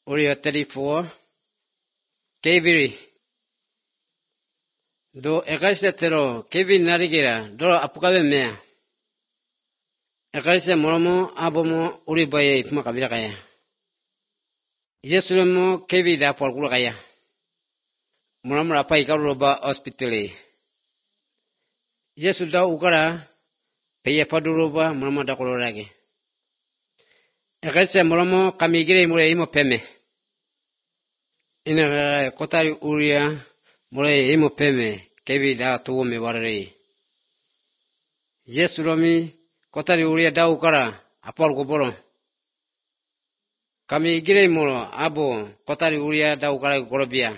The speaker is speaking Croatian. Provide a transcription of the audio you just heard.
Uriya 34. Keviri. Do ekasetero kevi narigera do apukabe mea. Ekarisa moromo abomo uribaye ipma kabila kaya. Yesulemo kevi da porkula kaya. Moromo apa ikaruba hospitali. Yesul da ukara peya paduruba moromo da kolorage. Ekarisa moromo kamigire mure imo peme. Ina kotari uria mure imo peme kevi da tuome warare. Yesulomi kotari uria da ukara apol goboro. Kami igire moro abo kotari uria da ukara gorobia.